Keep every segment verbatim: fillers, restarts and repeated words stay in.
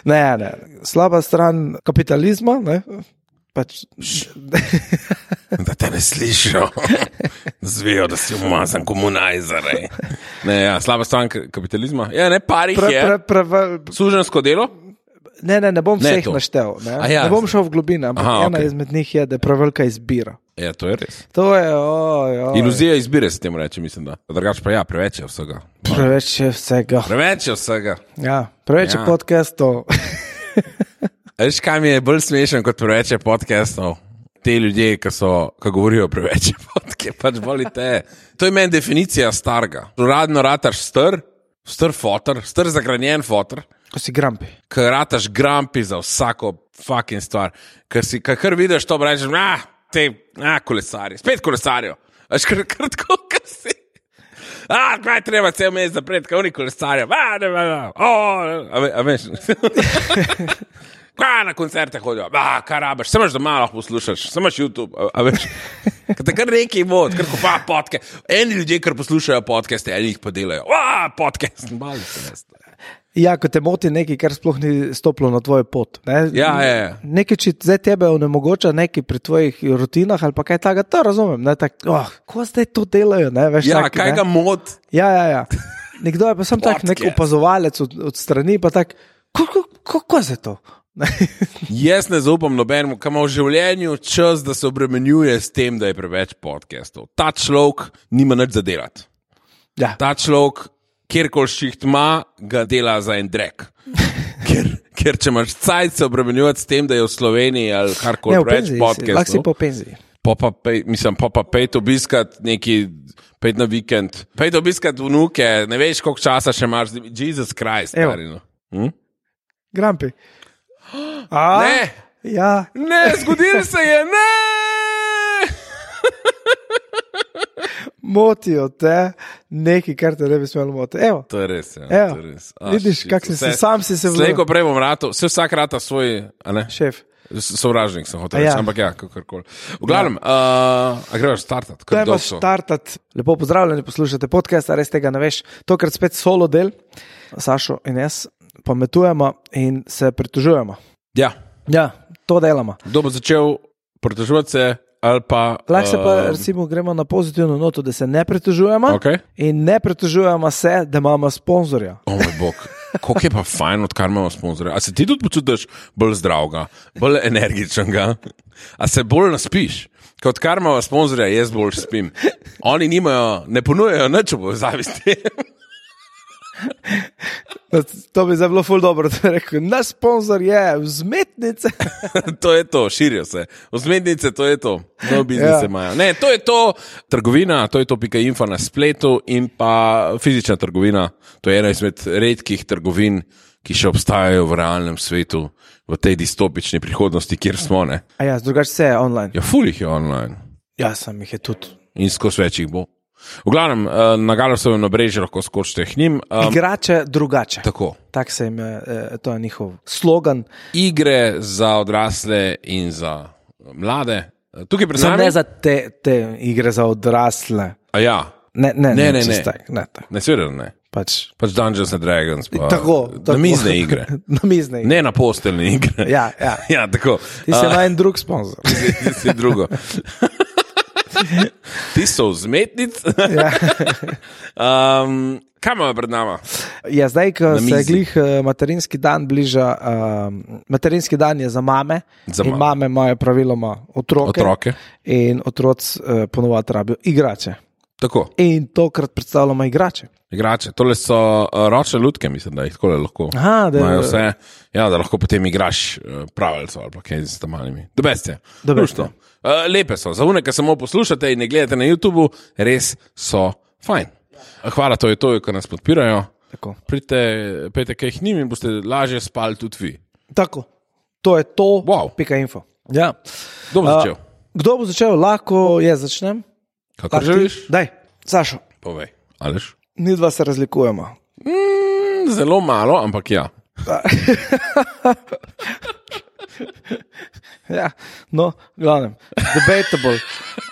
Ne, ne. Slaba stran kapitalizma, ne? Pač... Da te ne slišijo. Zvejo, da si umazan komunajzer. Ne, ja, slaba stran kapitalizma. Ja, ne, parih Pre, je. pre, pre, Sužensko delo? Ne, ne, ne bom Ne vseh to. naštel. Ne, A ja. ne bom šel v globine, ampak Aha, ena okej. izmed njih je, da je prevelika izbira. Ja, to je res. To je, oj, oj. Iluzija izbire se temu reče, mislim, da. Drugač pa ja, preveč je vsega. Preveč je vsega. Preveč je vsega. Ja, preveč je Ja. podcastov. Veš, kaj mi je bolj smešen kot preveč je podcastov? Te ljudje, ki so, ki govorijo preveč je podcast, pač volite. To je meni definicija starega. Uradno rataš str, str fotor, str zagranjen fotor, Ko si grampi. ker rataš grampi za vsako fucking stvar. Ker si, ker kar vidiš to, rečeš, ah, te, ah, kolesarji, spet kolesarijo. Veš, kar, kar tako, kar si. Ah, kaj treba cel mesec zapreti, kaj oni kolesarijo. Ah, ne, ne, ne, oh, a, ve, a veš. Kaj na koncerte hodijo, ah, kaj rabiš, samo doma lahko poslušaš, samo YouTube, a, a veš. Kaj te kar neki vod, kar kopa podcast. Eni ljudje, kar poslušajo podcaste, eni jih pa delajo. Ah, podcast, bali se veste. Ja, ko te moti nekaj, kar sploh ni stopilo na tvojo pot. Ne? Ja, je, je. Nekaj, če zdaj tebe onemogoča nekaj pri tvojih rutinah ali pa kaj takega, to razumem. Ne? Tak, oh, ko zdaj to delajo? Ne? Veš, Ja, tak, kaj ne? ga mod? Ja, ja, ja. Nekdo je pa sem tak nek Podcast. opazovalec od, od strani, pa tak, kako je to? Jaz ne zaupam nobenemu, ki ima v življenju čas, da se obremenjuje s tem, da je preveč podcastov. Ta človek nima nič za delati. Ja. Ta človek, kjerkoli šiht ima, ga dela za en drek. Ker, ker če imaš cajt se obremenjувати s tem, da je v Sloveniji ali karkoli Ne, v preveč penziji si, lahko si podcastov, po penziji. pa pa pej, mislim, pa pa pejt obiskat neki, pejt na vikend, pejt obiskat vnuke, ne veš, koliko časa še imaš, Jesus Christ. Evo. Stari, no. hm? Grampi. A? Ne, Ja, ne, zgodilo se je, ne! motijo te nekaj, kar te ne bi smelo motiti. Evo, To je res, ja. Evo, To je res. A, vidiš, shit, kak si vse- se, sam si se Slej, ko vložil. prej bom rato, vse vsak rata svoj, a ne, Šef. sovražnik sem hotel A reči, ja. ampak ja, kakorkoli. V glavnem, uh, a greš startat, To kar je pa dolgo so. startat. Lepo pozdravljeni, poslušate podcast, a res tega ne veš. Tokrat spet solo del, Sašo in jaz pametujemo in se pritožujemo. Ja, Ja, to delamo. kdo bo začel pritoževati se ali pa... Lahko se pa uh, recimo gremo na pozitivno noto, da se ne pritožujemo Okay. in ne pritožujemo se, da imamo sponzorja. O moj bog, koliko je pa fajn, odkar imamo sponzorja. A se ti tudi počutiš bolj zdravega, bolj energičnega, a se bolj naspiš? Kot kar imamo sponzorja, jaz bolj spim. Oni nimajo, ne ponujajo nič v povezavi s tem. To bi zdaj bilo ful dobro, da bi rekel, naš sponzor je vzmetnice. To je to, širijo se. Vzmetnice, to je to. No, biznise Ja. imajo. Ne, to je to trgovina, to je to pika info na spletu in pa fizična trgovina. To je ena izmed redkih trgovin, ki še obstajajo v realnem svetu, v tej distopični prihodnosti, kjer smo. Ne? A ja, drugače vse je online. Ja, ful jih je online Ja, sem jih je tudi. in skozi več jih bo. V glavnem, eh, na Galosovem nabrežju lahko skočite k njim. Um, Igrače drugače. tako. Tak se jim je, eh, to je njihov slogan. Igre za odrasle in za mlade. Tukaj pred Samo nami. ne za te, te igre za odrasle. A ja, Ne, ne, Ne, ne, ne, čist ne. tak, ne, tak. ne, seveda ne. Pač, Pač Dungeons and Dragons. Pa, tako, tako. namizne igre. Namizne igre. Ne na posteljne igre. Ja, ja. ja tako. Ti si A, ima en drug sponzor. ti si drugo. Ti so vzmetnic. Ja. um, kaj imamo pred nama? Ja, zdaj, ko Na se mizi. glih eh, materinski dan bliža, um, materinski dan je za mame, Za in mame. mame imajo praviloma otroke, Otroke. in otroci uh, ponovadi rabijo igrače. Tako, In tokrat predstavljamo igrače. igrače. Tole so uh, ročne lutke, mislim, da jih tako lahko. Aha, da- imajo vse, ja, da lahko potem igraš uh, pravilco ali pa kaj z tamalimi. Da beste. Da beste. Uh, lepe so. Za une, ki samo poslušate in ne gledate na YouTubu, res so fajn. Hvala to je to, ki nas podpirajo. Tako. Pridite, pejte kaj k njim in boste lažje spali tudi vi. Tako. To je to, Wow. pika info. Ja. Kdo bo začel? Uh, kdo bo začel? Lahko jaz začnem. Kako Lahko ti? želiš? Daj, Sašo, Povej. Aleš? mi dva se razlikujemo. Mm, zelo malo, ampak ja. Ja, no, glavnem, debatable.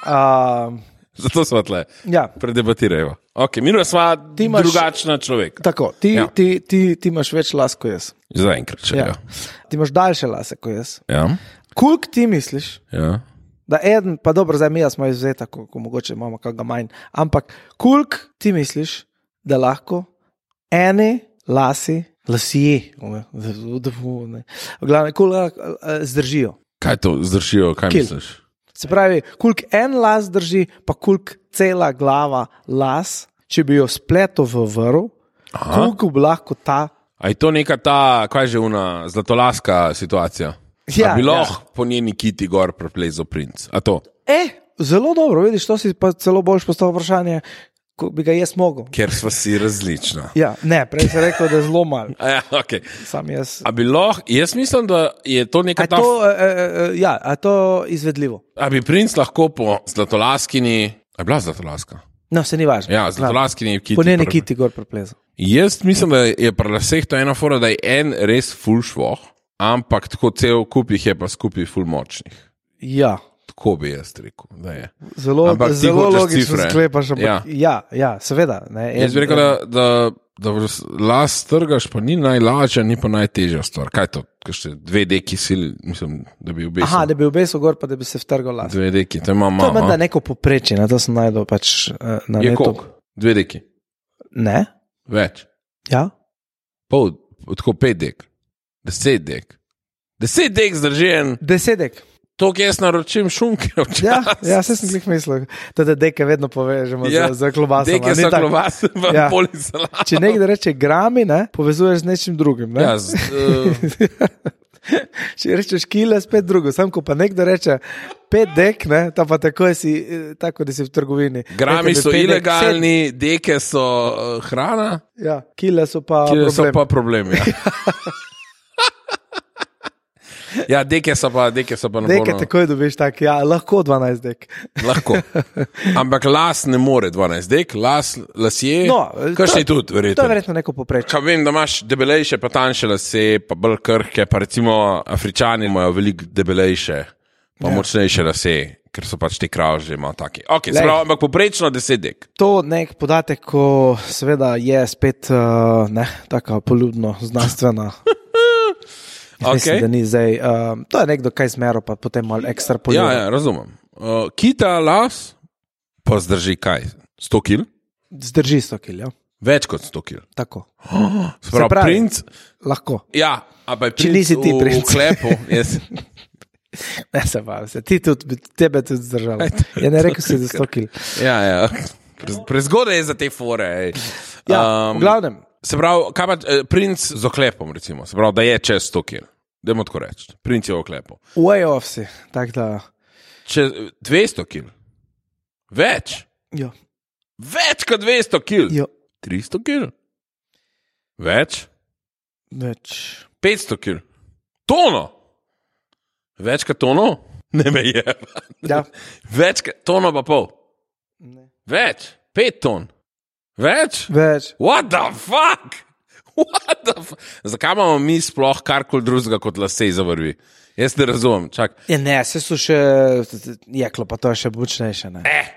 Uh, Zato smo tle. Ja. Predebatirajmo. Ok, mi smo imaš- drugačna človeka. Tako, ti, Ja. ja. ti, ti, ti imaš več las kot jaz. Zaenkrat, če Ja. ja. Ti imaš daljše lase kot jaz. Ja. Koliko ti misliš, Ja. da eden, pa dobro, zdaj mi smo izvzeti, ko, ko mogoče imamo kakega manj, ampak koliko ti misliš, da lahko eni lasi, lasje, v glavnem, koliko eh, zdržijo. Kaj to zdržijo, kaj Kil. misliš? Se pravi, koliko en las drži, pa koliko cela glava las, če bi jo spletel v vrv, koliko bi lahko ta. A je to neka ta, kaj že una, zlatolaska situacija? Ja, A bi ja. lahko po njeni kiti gor preplezal princ? A to? E, zelo dobro, vidiš, to si pa celo boljš postavil vprašanje, ko bi ga jaz mogel. Ker sva si različna. Ja, ne, prej si rekel, da je zelo malo. A ja, okay. Sam jaz. A bi lahko, jaz mislim, da je to A neka je ta. to, e, e, ja, a je to izvedljivo? A bi princ lahko po zlatolaskini, a je bila zlatolaska? No, se ni važno. Ja, zlatolaskini kiti. Po njeni pre- kiti gor preplezal. Jaz mislim, da je pri laseh to ena fora, da je en res ful švoh, ampak tako cel kup jih je pa skupaj ful močnih. Ja, Tako bi jaz rekel, da je. zelo, Ampak ti zelo hočeš logično cifre. sklepaš. Ampak, Ja. ja. ja, ja, seveda. Ne, Jaz bi rekel, da, da, da las trgaš, pa ni najlažja, ni pa najtežja stvar. Kaj je to? Kaj še dve deki sil, mislim, da bi obesil. Aha, da bi obesil gor, pa da bi se vtrgal las. Dve deki, to ima To je malo. menda neko poprečje, na to sem najdel pač eh, na Je netu. koliko? Dve deki. Ne? Več. Ja? Pol, tako pet dek. Deset dek. Deset dek zdrži en. Desedek. To, ki jaz naročim šunke. Ja, ja, se sem jih mislil. Da deke vedno povežemo ja, za, za klobaso. Deke so klobase, pa Ja. ja. polisalat. Če nekdo reče grami, ne, povezuješ z nečim drugim. Ne? Ja, z, uh, Če rečeš kile, spet drugo. Sam, ko pa nekdo reče pet dek, ne, ta pa tako si, eh, tako da si v trgovini. grami Rekel bi so pet dek, ilegalni, deke so uh, hrana, sedem. Ja, kile so pa ki so problem. pa problem. Ja. Ja, deke so pa, deke so pa Deke naporno. takoj dobiš tak, ja, lahko dvanajst dek. Lahko. Ampak las ne more dvanajst dek, las, lasje, No, kakšni to- tudi, To je verjetno. verjetno neko poprečje. Kaj vem, da imaš debelejše, pa tanjše lase, pa bolj krhke, pa recimo Afričani imajo veliko debelejše, pa ja. močnejše lase, ker so pač ti kravži malo taki. Okay, Glej. sprav, ampak poprečno deset dek. To nek podatek, ko seveda je spet uh, ne, taka poljubno znanstvena. Okay. Mislim, da ni zdaj. Uh, to je nekdo kaj zmero, pa potem malo ekstra Ja, poljubno. ja, razumem. Uh, kita las pa zdrži kaj? sto kil? Zdrži sto kil, ja. Več kot sto kil. Tako. Sprav, pravi- princ, Lahko. ja, a pa je Če princ nisi ti v, princ. v klepu. Jaz, Ne se bavim, se ti tudi, bi tebe tudi zdržal. Ja, ne rekel si za sto kil. ja, ja. Pre, prezgodaj je za te fore. ej. Ja, Um, v glavnem. Se pravi, kaj pa eh, princ z oklepom, recimo, se pravi, da je čez sto kil. Dajmo tako reči, princ je v oklepu. Way off si. Tak da. Čez dvesto kil. Več. Jo. Več kot dvesto kil. Jo. tristo kil. Več. Več. petsto kil. Tono. Več kot tono? Ne me je. Ja. Več kot tono pa pol. Ne. Več. Pet ton. Več. Več. What the fuck? What the fuck? Zakaj imamo mi sploh karkoli drugega kot lase za vrvi? Jaz ne razumem. Čak. Ja, ne, se so še jeklo, pa to je še močnejše. Ne? Eh,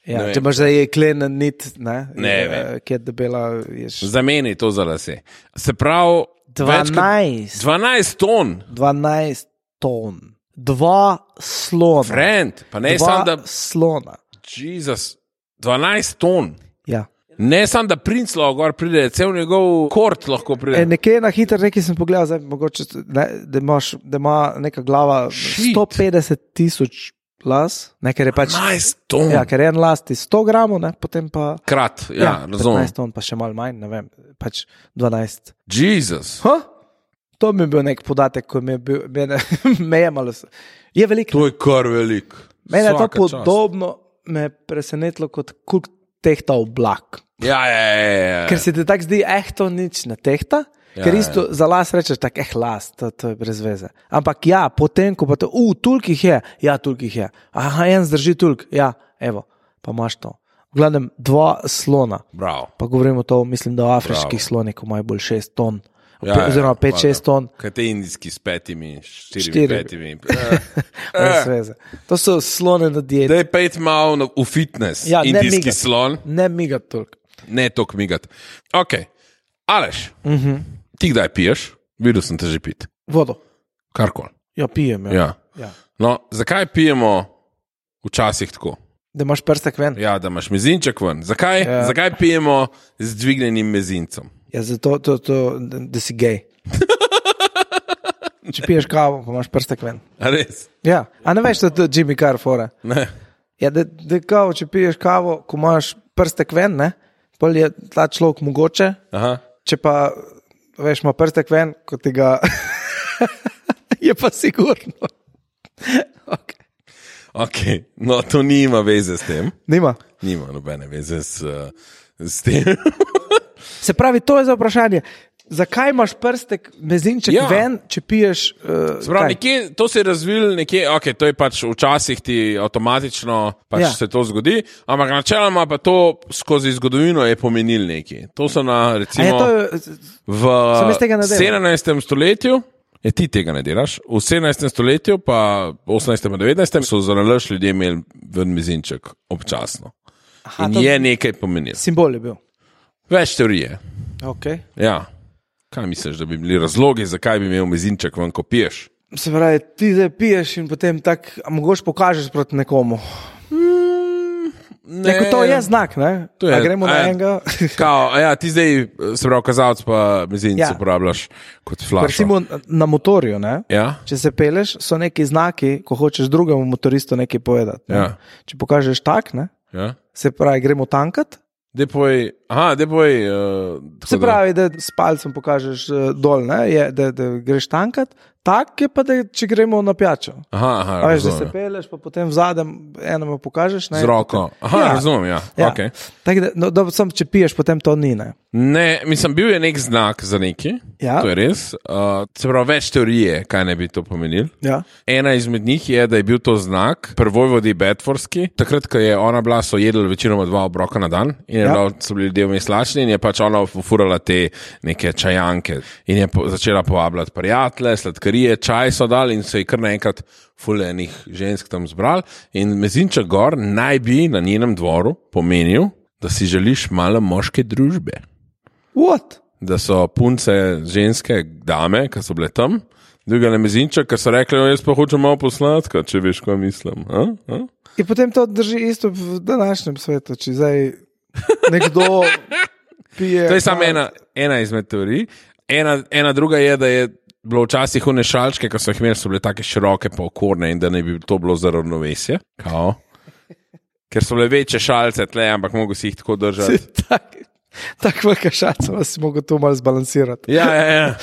Ja, ne vem. če imaš zdaj jeklen nit, ne, Ne je, vem. ki je debela, ješ zameni to za lase. Se pravi, več kot dvanajst, dvanajst ton. dvanajst ton, dva slona. Friend, pa ne dva samo da. slona. Jezus, dvanajst ton. Ja. Ne samo da princ lahko gor pride, cel njegov kort lahko E, pride. nekje na hitro reki sem pogledal, zdaj, mogoče, ne, da, imaš, da ima neka glava Shit. sto petdeset tisoč las, ne, ker je pač. dvanajst ton. Ja, ker je en las ti sto gramov, ne, potem pa. Krat, ja, ja razumem. petnajst ton, pa še malo manj, ne vem, pač dvanajst. Jezus, Ha? To mi je bil nek podatek, ko mi je bil, mene, me je malo. s- Je veliko. to je kar velik. Mene je to Svaka čast. podobno, me je presenetilo kot koliko tehta oblak. Ja, ja, ja, ja. Ker se ti tako zdi, eh, to nič ne tehta. Ja, Ker ja. isto za las rečeš, tako eh, las, to, to je brez veze. Ampak ja, potem, ko pa to, uh, tulk jih je, ja, tulk jih je. Aha, en zdrži tulk, ja, evo, pa imaš to. V glavnem, dva slona, Bravo. pa govorimo to, mislim, da o afriških Bravo. slonih, ko imajo bolj šest ton, ja, oziroma pet šest ton. Kaj te indijski s petimi, štirimi, Štiri. petimi. Brez veze. To so slone na dieti. Daj pejt malo v fitness, Ja, ne indijski migat. slon, Ne migat toliko. ne tok migat. Ok, Aleš, Mhm. ti kdaj piješ? Videl sem te že pit. Vodo. Karkoli. Ja, pijem. Ja. Ja. Ja. No, zakaj pijemo včasih tako? Da imaš prstek ven. Ja, da imaš mezinček ven. Zakaj, Ja. zakaj pijemo z dvignenim mezincem? Ja, zato, to, to, da, da si gej. Če piješ kavo, pa imaš prstek ven. A res? Ja, a ne veš, da je to Jimmy Carr fora. Ne. Ja, da, da kao, če piješ kavo, ko imaš prstek ven, ne, pol je ta človek mogoče, Aha. če pa, veš, ima prstek ven, kot tega, je pa sigurno. Okay. Ok, no to nima veze s tem. Nima. Nima nobene veze s, uh, s tem. Se pravi, to je za vprašanje. Zakaj imaš prstek mezinček Ja. ja. ven, če piješ? Uh, Sprav, nekje, to se je razvil nekje, ok, to je pač včasih ti avtomatično pač Ja. se to zgodi, ampak načeloma pa to skozi zgodovino je pomenil nekaj. To so na recimo v Sem jaz tega ne delam. sedemnajstem stoletju. Je ti tega ne delaš. V sedemnajstem stoletju, pa osemnajstem in devetnajstem so za nalaž ljudje imeli ven mezinček občasno. Aha, In to je nekaj pomenil. simbol je bil. Več teorije. Okay. Ja. Kaj misliš, da bi bili razlogi, zakaj bi imel mezinček ven, ko piješ? Se pravi, ti zdaj piješ in potem tako, a mogoče pokažeš proti nekomu. Ne, Neko to je znak, ne? To je- A gremo a na je- enega. Kao, a ja, ti zdaj, se pravi, kazalec pa mezince ja. Ja. uporabljaš kot flash. Recimo na motorju, ne? Ja? Če se peleš, so neki znaki, ko hočeš drugemu motoristu nekaj povedati. Ne? Ja. Če pokažeš tak, ne? Ja? Se pravi, gremo tankat. Depoj, aha, depoj. Uh, Se pravi, da s palcem pokažeš uh, dol, ne? Je, da, da greš tankat. Tak je pa, da če gremo na pijačo. Aha, aha, A veš, da se razumem. peleš, pa potem v zadnjem enemu pokažeš. Ne? Z roko. Aha, Ja. razumem, ja. Ja. Okay. Tako da, no, da, sam, če piješ, potem to ni. Ne? Ne, mislim, bil je nek znak za neki. Ja. To je res. Uh, se pravi, več teorije, kaj ne bi to pomenil. Ja. Ena izmed njih je, da je bil to znak prvojvodi Bedfordski. Takrat, ko je ona bila, so jedli večinoma dva obroka na dan in je Ja. bila, so bili ljudje vmes lačni in je pač ona furala te neke čajanke in je po, začela povabljati prijatelje, sladkarije, čaj so dali in se je kar naenkrat fulejnih žensk tam zbral. In mezinček gor naj bi na njenem dvoru pomenil, da si želiš malo moške družbe. What? Da so punce, ženske, dame, ki so bile tam, dvigali mezinček, ker so rekli, jaz pa hočem malo posladka, če veš, kaj mislim. A? A? In potem to drži isto v današnjem svetu. Če zdaj nekdo pije. To je samo ena, ena izmed teorij. Ena, ena druga je, da je bilo včasih one šalčke, ki so jih imeli, so bile tako široke pa okorne in da ne bi to bilo za ravnovesje. Kao. Ker so bile večje šalce tle, ampak mogo si jih tako držati. Tako tak velika šaca, da si mogel to malo zbalansirati. Ja, ja, ja.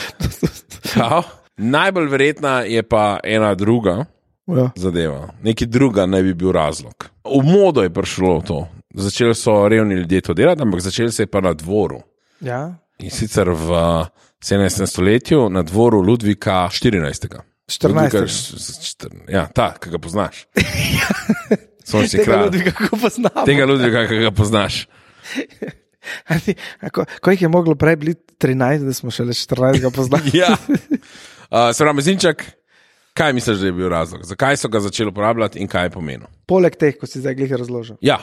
Kao. Najbolj verjetna je pa ena druga Ja. zadeva. Neki druga naj bi bil razlog. V modo je prišlo to. Začeli so revni ljudje to delati, ampak začeli se je pa na dvoru. Ja. In sicer v sedemnajstem stoletju na dvoru Ludvika štirinajstega. štirinajstega. Ludvika š- š- štir- Ja, ta, ki ga poznaš. Sončni Tega kralj. ljudi kako poznamo. Tega Ludvika, ki ga poznaš. A ti- a ko, ko jih je moglo prej biti trinajst, da smo šele štirinajst poznali. Ja. Uh, se pravi, mezinček, kaj misliš, da je bil razlog? Zakaj so ga začeli uporabljati in kaj je pomenil? Poleg teh, ko si zdaj glih razložil. Ja,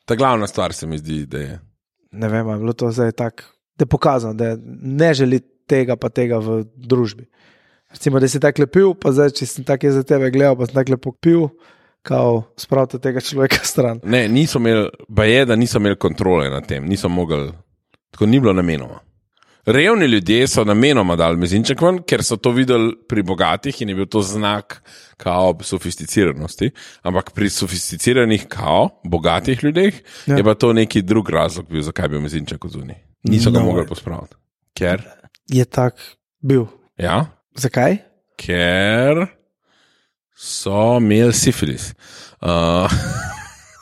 ta glavna stvar se mi zdi, da je. Ne vem, ali je bilo to zdaj tako, da je pokazano, da ne želi tega pa tega v družbi. Recimo, da si tako lepil, pa zdaj, če sem tako za tebe gledal, pa sem tako lepo pil, kao spravite tega človeka stran. Ne, niso imeli, ba je, da niso imeli kontrole nad tem, niso mogli, tako ni bilo namenoma. Revni ljudje so namenoma dali mezinček ven, ker so to videli pri bogatih in je bil to znak kao sofisticiranosti, ampak pri sofisticiranih kao bogatih ljudeh ja. je pa to neki drug razlog bil, zakaj bi bil mezinček odzuni. Niso ga No. mogli pospraviti. Ker? Je tak bil. Ja, Zakaj? ker so imeli sifilis. Uh,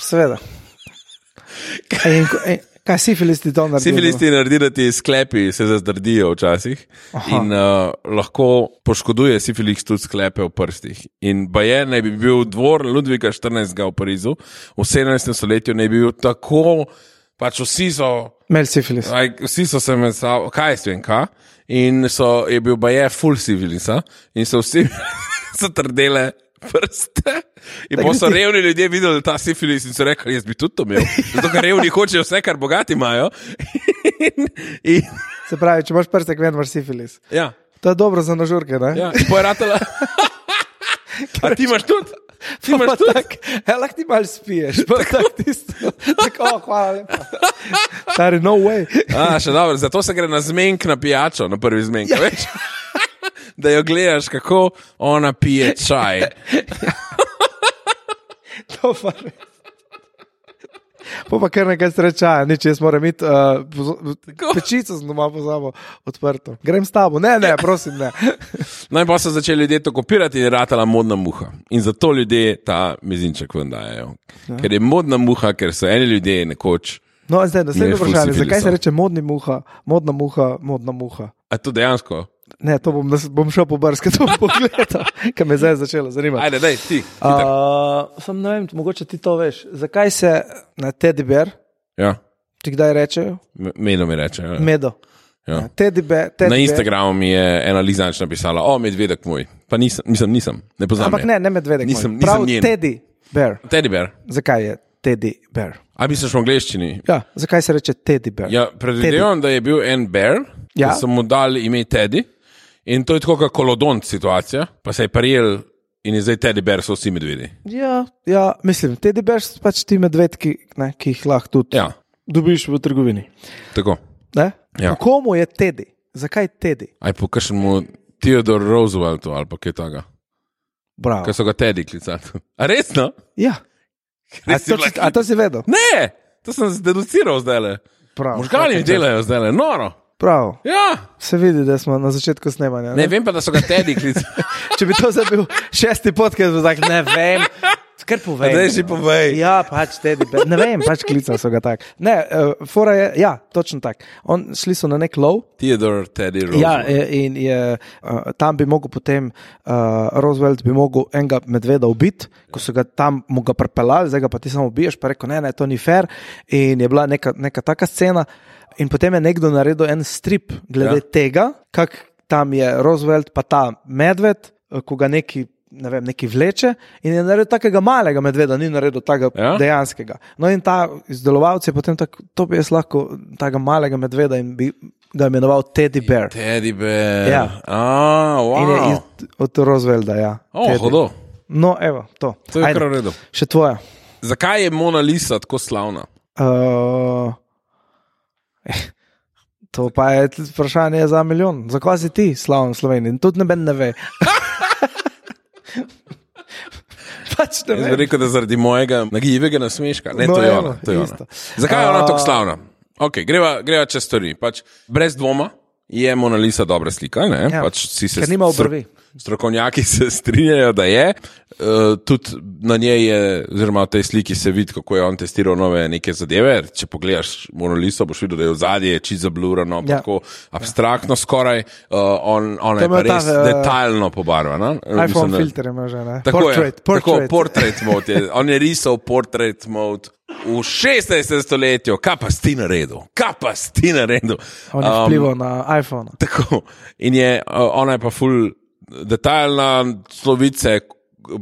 Seveda. In, ko- in, kaj sifilisti to naredijo? Sifilisti naredijo, da ti sklepi se zazdrdijo včasih Aha. in uh, lahko poškoduje sifilis tudi sklepe v prstih. In baje naj bi bil dvor Ludvika štirinajstega v Parizu, v sedemnajstem stoletju naj bi bil tako, pač vsi so, Imeli sifilis. aj, vsi so se med sabo, kaj jaz vem, kaj? in so, je bil baje full civilisa in so vsi so trdele prste. In pa so revni ljudje videli ta sifilis in so rekli, jaz bi tudi to imel. Zato, ker revni hočejo vse, kar bogati imajo. in, in... Se pravi, če imaš prstek, ven imaš sifilis. Ja. To je dobro za nažurke, ne? Ja, pojeratela. A ti imaš tudi? Ti imaš tudi? Tak, ja, lahko ti malo spiješ. Pa tako tisto. Tako, oh, hvala lepa. Stari, no way. A, še dobro, zato se gre na zmenk na pijačo, na prvi zmenk, ja. Veš? Da jo gledaš, kako ona pije čaj. To pa res. Pa pa kar nekaj srečaja, nič, jaz moram imeti uh, pečico sem doma pozabil odprto. Grem s tabo, ne, ne, prosim, ne. No in pa so začeli ljudje to kopirati in je ratala modna muha. In zato ljudje ta mezinček ven dajejo. Ja. Ker je modna muha, ker so eni ljudje nekoč... No, zdaj, naslednje vprašanje, zakaj se reče modni muha, modna muha, modna muha? A to dejansko? Ne, to bom, bom šel po brske, to bom pogledal, ker me zdaj začelo zanimati. Ajde, daj, ti. Uh, sam ne vem, mogoče ti to veš. Zakaj se na teddy bear, ja. Ti kdaj rečejo? Medo mi reče. Ja. Medo. Ja. Ja, teddy bear, teddy na Instagramu mi je ena Lizanč napisala, o, medvedek moj. Pa nisem, nisem, nisem ne poznam. Ampak je. ne, ne medvedek nisem, moj. Prav nisem teddy bear. Teddy bear. Zakaj je teddy bear? A misliš v angleščini? Ja, zakaj se reče teddy bear? Ja, predvidevam, da je bil en bear, ja. Da so mu dali ime Teddy. In to je tako kot kolodont situacija, pa se je parijel in je zdaj teddy bear, so vsi medvedi. Ja, ja, mislim, teddy bear so pač ti medvedki, ne, ki jih lahko tudi ja. Dobiš v trgovini. Tako. Ne? Ja. Po komu je Teddy? Zakaj Teddy? Aj po kakšnemu Theodore Rooseveltu ali pa kaj taga. Bravo. Kaj so ga Teddy klicali. A resno? Ja. A to, a to si vedel? Ne, to sem zdeduciral zdajle. Možgani mi delajo zdajle, noro. Prav. Ja. Se vidi, da smo na začetku snemanja. Ne, ne vem pa, da so ga Teddy klicali. Če bi to zdaj bil šesti podcast, bi tak, ne vem. Kar povej. Zdaj si povej. Ja, pač Teddy bear. Ne vem, pač klicali so ga tak. Ne, uh, fora je, ja, točno tak. On, šli so na nek lov. Theodore Teddy Roosevelt. Ja, in je, uh, tam bi mogel potem, uh, Roosevelt bi mogel enega medveda ubiti, ko so ga tam mu ga prepelali, zdaj ga pa ti samo ubiješ, pa rekel, ne, ne, to ni fair. In je bila neka, neka taka scena. In potem je nekdo naredil en strip glede ja. Tega, kak tam je Roosevelt pa ta medved, ko ga neki ne vem, neki vleče in je naredil takega malega medveda, ni naredil takega ja? Dejanskega. No in ta izdelovalec je potem tak, to bi jaz lahko takega malega medveda in bi ga imenoval Teddy Bear. Teddy Bear. Ja. Ah, wow. In je iz, od Roosevelta, ja. Oh, hodo. No, evo, to. To je kar v redu. Še tvoja. Zakaj je Mona Lisa tako slavna? Uh, eh, to pa je vprašanje za milijon. Zakaj si ti slaven v Sloveniji? Tudi neben ne ve. Pač ne Jaz bi rekel, da zaradi mojega nagibega nasmeška. Ne, no, to je eno, ona. To je isto. ona. Zakaj je ona tako slavna? Ok, greva, greva čez stvari. Pač, brez dvoma je Mona Lisa dobra slika. Ne? Ja, pač, si se ker nima obrvi. Strokovnjaki se strinjajo, da je. Uh, tudi na njej je, oziroma v tej sliki se vidi, kako je on testiral nove neke zadeve. Če pogledaš Mona Liso, boš videl, da je v zadnje čisto zablurano, ja. Tako abstraktno ja. Skoraj. Uh, on, ona je pa res ta, uh, detaljno pobarvana. iPhone da, filter ima že, ne? Tako portrait, je, portrait. Tako, portrait mode je. On je risal portrait mode v šestnajstem stoletju. Kaj pa si naredil? Kaj pa si naredil? On je vplival um, na iPhone. Tako. In je, uh, ona je pa ful detaljna, slovice,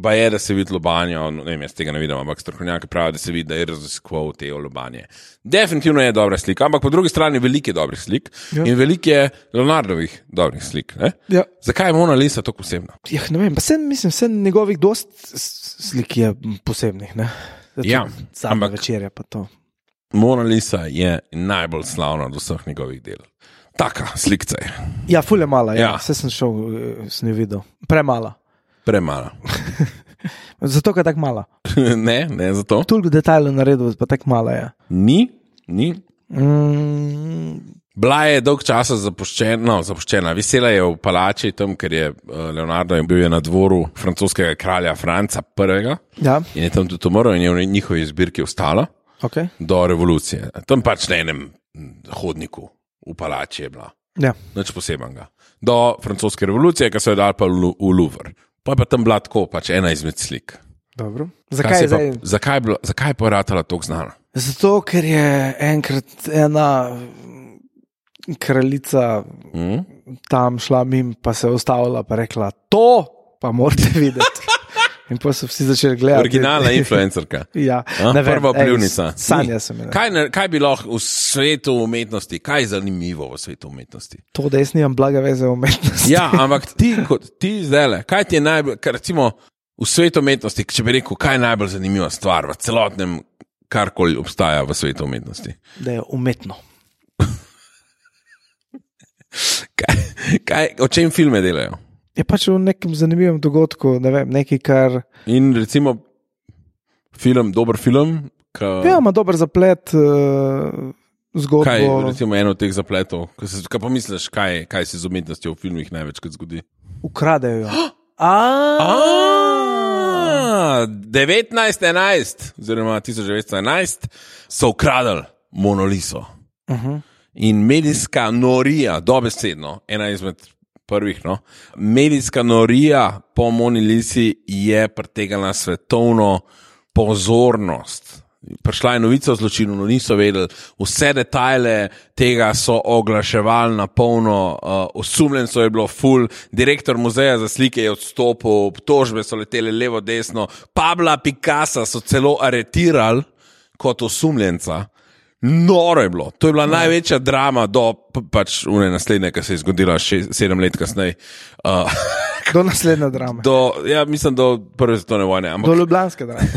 pa je, da se vidi lobanjo, ne vem, jaz tega ne vidim, ampak strokovnjaki pravijo, da se vidi, da je raziskoval te lobanje. Definitivno je dobra slika, ampak po drugi strani veliko je dobrih slik ja. In veliko je Leonardovih dobrih slik. Ja. Zakaj je Mona Lisa tako posebna? Ja, ne vem, pa sem, mislim, sem njegovih dost slik je posebnih, ne? Ja, ampak večerja pa to. Mona Lisa je najbolj slavna od vseh njegovih del. Taka slikca je. Ja, ful je mala, ja. Ja. Vse sem šel, sem jo videl. Premala. Premala. Zato, ker je tako mala. Ne, ne zato. Toliko detajlov naredil, pa tako mala je. Ni, ni. Mm. Bila je dolg časa zapuščena, no, zapuščena. Visela je v palači, tam, ker je Leonardo bil je na dvoru francoskega kralja Franca prvega. Ja. In je tam tudi umrl in je v njihovi zbirki ostala. Okay. Do revolucije. Tam pač na enem hodniku v palači je bila. Ja. Nič posebenega. Do francoske revolucije, ki so jo dali pa v Louvre. Pa je pa tam bila tako, pač ena izmed slik. Dobro. Zakaj je zdaj? Pa, zakaj, bila, zakaj je pa ratala toliko znana? Zato, ker je enkrat ena kraljica mm. tam šla mim, pa se ustavila, pa rekla, to pa morate videti. In pa so vsi začeli gledati. Originalna influencerka. Ja, A, ne vem, prva pljuvnica. Sanja sem imela. Kaj, ne- kaj bi lahko v svetu umetnosti, kaj je zanimivo v svetu umetnosti? To, da jaz nimam blaga veze o umetnosti. Ja, ampak ti, kot, ti zdajle, kaj ti je najbolj, kar recimo v svetu umetnosti, če bi rekel, kaj je najbolj zanimiva stvar v celotnem, karkoli obstaja v svetu umetnosti? Da je umetno. Kaj, kaj, o čem filme delajo? Je pač v nekem zanimivem dogodku, ne vem, nekaj, kar... In recimo film, dober film, ka, Ja, ima dober zaplet, uh, zgodbo. kaj je recimo eno od teh zapletov, kaj, se, kaj pa misliš, kaj, kaj se z umetnostjo v filmih največkrat zgodi? Ukradejo jo. A, A, devetnajst enajst, oziroma tisoč devetsto enajst, so ukradli Monoliso. uh-huh. In medijska norija, dobesedno, ena izmed prvih, no, medijska norija po Monolisi je pritegala svetovno pozornost. Prišla je novica o zločinu, no niso vedeli, vse detajle tega so oglaševali na polno, uh, osumljencev je bilo ful, direktor muzeja za slike je odstopil, obtožbe so letele levo, desno, Pabla Picassa so celo aretirali kot osumljenca. Noro je bilo, to je bila no. največja drama do pač une naslednje, ki se je zgodila šest, sedem let kasneje. Uh, Do naslednje drame. do, ja, mislim, do prve svetovne vojne. Ampak, Do ljubljanske drame.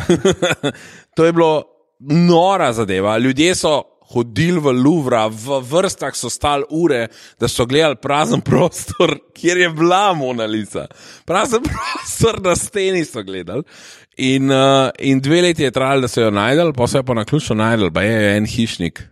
to je bilo nora zadeva. Ljudje so hodili v Louvre, v vrstah so stali ure, da so gledali prazen prostor, kjer je bila Mona Lisa. Prazen prostor na steni so gledali. In, uh, in dve leti je trajalo, da so jo najdel, pa so jo pa na ključno najdel, pa je en hišnik.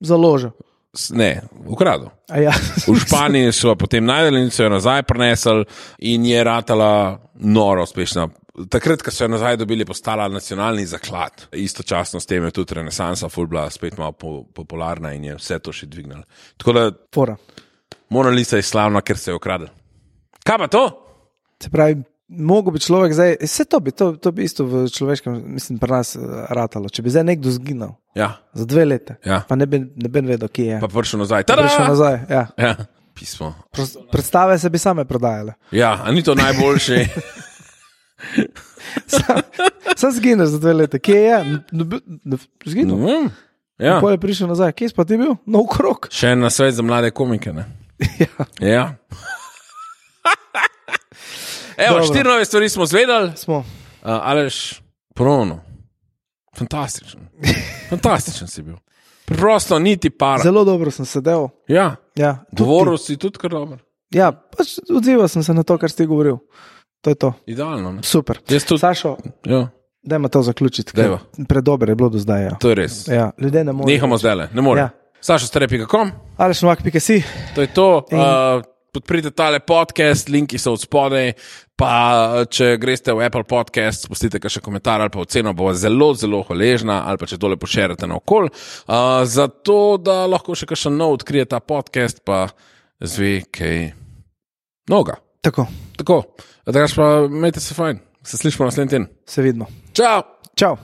Založil. S- Ne, ukradel. A ja. V Španiji so jo potem najdeli in so jo nazaj prenesli in je ratala noro uspešna. Takrat, ko so jo nazaj dobili, postala nacionalni zaklad. Istočasno s tem je tudi renesansa ful bila spet malo po, popularna in je vse to še dvignala. Tako da Fora. Mona Lisa je slavna, ker se je ukradel. Kaj pa to? Se pravi, mogo bi človek zdaj, vse to bi, to, to bi isto v človeškem, mislim, pri nas uh, ratalo. Če bi zdaj nekdo zginil Ja, za dve leta, ja. pa ne bi, ne bi vedel, kje je. Pa prišel nazaj. Pa Tada! prišel nazaj, ja. Ja, pismo. Pros- Predstave se bi same prodajale. Ja, a ni to najboljši? Sam, sam zgineš za dve leta, kje je? N- n- n- Zginil. Mm, ja. Pol je prišel nazaj, kje si pa ti bil? No, v krog. Še en nasvet za mlade komike, ne? Ja, Ja. Evo, Dobro. štiri nove stvari smo zvedali. smo. Uh, Aleš, ponovno. Fantastičen. Fantastičen si bil. Preprosto niti para. Zelo dobro sem sedel. Ja, Ja, tudi govoril si tudi kar dobro. ti. Ja, pač odzival sem se na to, kar si ti govoril. To je to. Idealno, ne? Super. Jaz tudi. Sašo, Ja, dajmo to zaključiti. ker Dajva. Predober je bilo do zdaj. Ja. to je res. Ja, ljudje ne morejo. Nehamo zdaj, ne morem. Ja. Saša Strepi, kako? Aleš Novak, pika si. To je to. In- Uh, podprite tale podcast, linki so od spodaj. Pa če greste v Apple Podcast, spustite še komentar ali pa oceno, bo zelo, zelo hvaležna, ali pa če tole pošerite na okol. Uh, zato, da lahko še kakšen nov odkrije ta podcast, pa zve kaj noga. Tako, Tako, da pa imejte se fajn, se slišimo naslednji teden. se vidimo. Čau! Čau.